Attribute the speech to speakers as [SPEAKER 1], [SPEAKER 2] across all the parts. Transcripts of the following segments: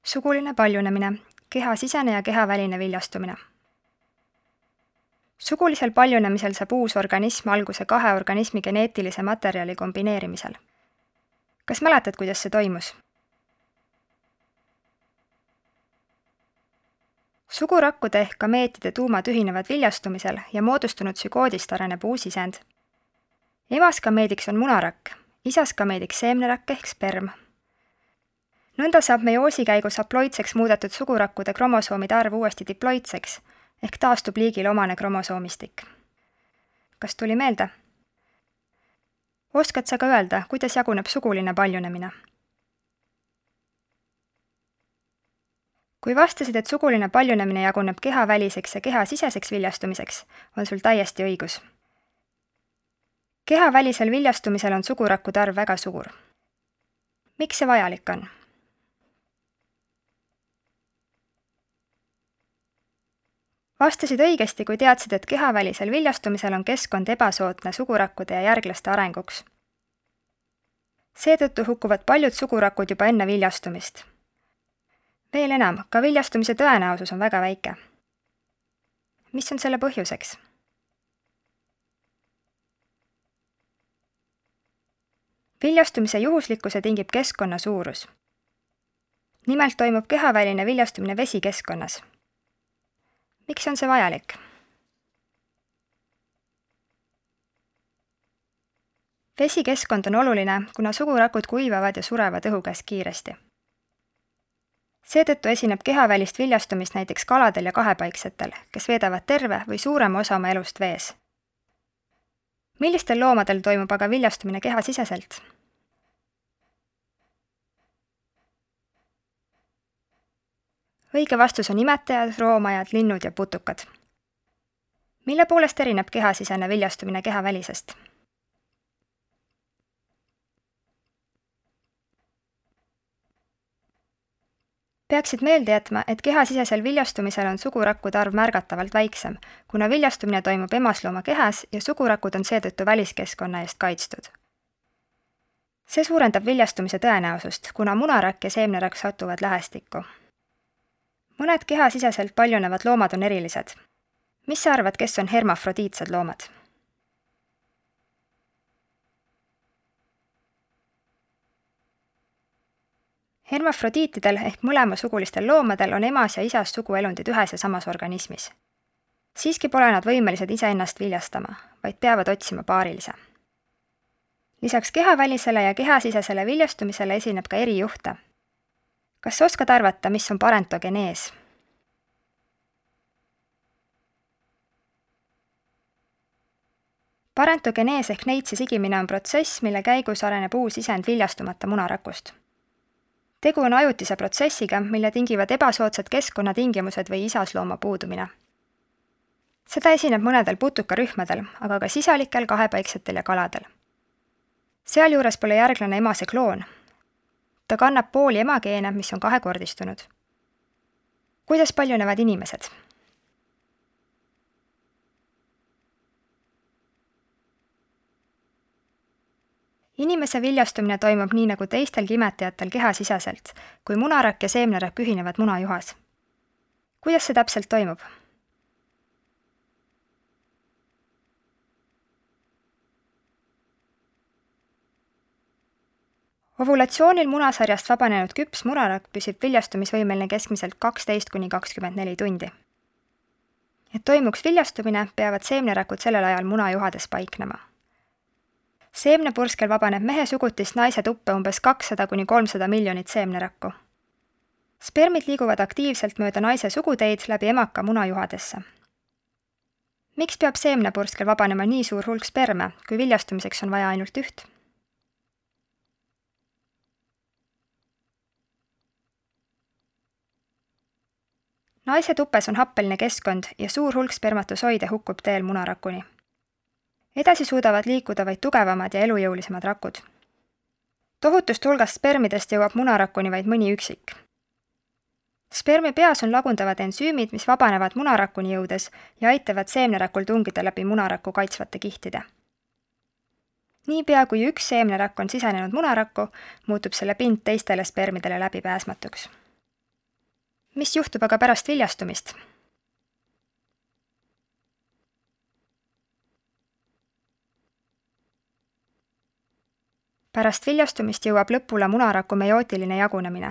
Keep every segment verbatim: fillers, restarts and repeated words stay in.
[SPEAKER 1] Suguline paljunemine, kehasisene ja kehaväline viljastumine. Sugulisel paljunemisel saab uus organism alguse kahe organismi geneetilise materjali kombineerimisel. Kas mäletad, kuidas see toimus? Sugurakkude ehk gameetide tuumad ühinevad viljastumisel ja moodustunud sügoodist areneb uus isend. Emas gameediks on munarakk, isas gameediks seemnerakk ehk sperm. Nõnda saab meioosi käigus haploidseks muudetud sugurakkude kromosoomide arv uuesti diploidseks ehk taastub liigile omane kromosoomistik. Kas tuli meelde? Oskad sa ka öelda, kuidas jaguneb suguline paljunemine? Kui vastasid, et suguline paljunemine jaguneb kehaväliseks ja kehasiseseks viljastumiseks, on sul täiesti õigus. Kehavälisel viljastumisel on sugurakkude arv väga suur. Miks see vajalik on? Vastasid õigesti, kui teadsid, et kehavälisel viljastumisel on keskkond ebasootne sugurakkude ja järglaste arenguks. Seetõttu hukkuvad paljud sugurakud juba enne viljastumist. Veel enam, ka viljastumise tõenäosus on väga väike. Mis on selle põhjuseks? Viljastumise juhuslikkuse tingib keskkonna suurus. Nimelt toimub kehaväline viljastumine vesikeskkonnas. Miks on see vajalik? Vesikeskkond on oluline, kuna sugurakud kuivavad ja surevad õhu käes kiiresti. Seetõttu esineb kehavälist viljastumist näiteks kaladel ja kahepaiksetel, kes veedavad terve või suurema osa oma elust vees. Millistel loomadel toimub aga viljastumine kehasiseselt? Õige vastus on imetajad, roomajad, linnud ja putukad. Mille poolest erineb kehasisene viljastumine kehavälisest? Peaksid meelde jätma, et kehasisesel viljastumisel on sugurakkude arv märgatavalt väiksem, kuna viljastumine toimub emaslooma kehas ja sugurakud on seetõttu väliskeskkonna eest kaitstud. See suurendab viljastumise tõenäosust, kuna munarakk ja seemnerakk satuvad lähestikku. Mõned kehasiseselt paljunevad loomad on erilised. Mis sa arvad, kes on hermafrodiitsed loomad? Hermafrodiitidel ehk mõlemasugulistel loomadel on emas ja isas suguelundid ühes ja samas organismis. Siiski pole nad võimelised iseennast viljastama, vaid peavad otsima paarilise. Lisaks kehavälisele ja kehasisesele viljastumisele esineb ka erijuhte. Kas oskad arvata, mis on parentogenees? Parentogenees ehk neitsi sigimine on protsess, mille käigus areneb uus isend viljastumata munarakust. Tegu on ajutise protsessiga, mille tingivad ebasoodsad keskkonnatingimused või isaslooma puudumine. Seda esineb mõnedel putukarühmadel, aga ka sisalikel, kahepaiksetel ja kaladel. Sealjuures pole järglane emase kloon. Ta kannab pooli emageene, mis on kahekordistunud. Kuidas paljunevad inimesed? Inimese viljastumine toimub nii nagu teistelgi imetajatel kehasiseselt, kui munarakk ja seemnerakk ühinevad munajuhas. Kuidas see täpselt toimub? Ovulatsioonil munasarjast vabanenud küps munarakk püsib viljastumisvõimeline keskmiselt kaksteist kuni kakskümmend neli tundi. Et toimuks viljastumine, peavad seemnerakud sellel ajal munajuhades paiknema. Seemnepurskel vabaneb mehe sugutist naise tuppe umbes kakssada kuni kolmsada miljonit seemnerakku. Spermid liiguvad aktiivselt mööda naise suguteid läbi emaka munajuhadesse. Miks peab seemnepurskel vabanema nii suur hulk sperme, kui viljastumiseks on vaja ainult üht? Naise tupes on happeline keskkond ja suur hulk spermatosoide hukkub teel munarakuni. Edasi suudavad liikuda vaid tugevamad ja elujõulisemad rakud. Tohutust hulgast spermidest jõuab munarakuni vaid mõni üksik. Spermi peas on lagundavad ensüümid, mis vabanevad munarakuni jõudes ja aitavad seemnerakul tungida läbi munaraku kaitsvate kihtide. Niipea kui üks seemnerakk on sisenenud munarakku, muutub selle pind teistele spermidele läbipääsmatuks. mis juhtub aga pärast viljastumist? Pärast viljastumist jõuab lõpule munaraku meiootiline jagunemine.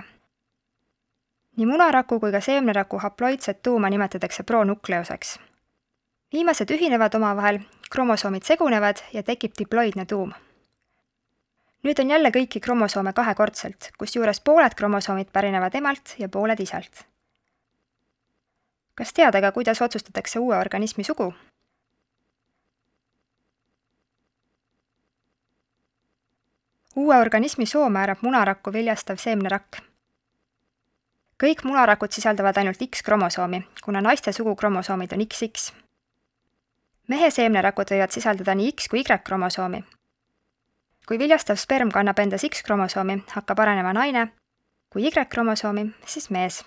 [SPEAKER 1] Nii munaraku kui ka seemneraku haploidset tuuma nimetatakse pronukleoseks. Viimased ühinevad omavahel, kromosoomid segunevad ja tekib diploidne tuum. Nüüd on jälle kõiki kromosoome kahekordselt, kus juures pooled kromosoomid pärinevad emalt ja pooled isalt. Kas tead aga, kuidas otsustatakse uue organismi sugu? Uue organismi soo määrab munarakku viljastav seemnerakk. Kõik munarakud sisaldavad ainult X-kromosoomi, kuna naiste sugukromosoomid on X X. Mehe seemnerakud võivad sisaldada nii X kui Y-kromosoomi. Kui viljastav sperm kannab endas X-kromosoomi, hakkab arenema naine, kui Y-kromosoomi, siis mees.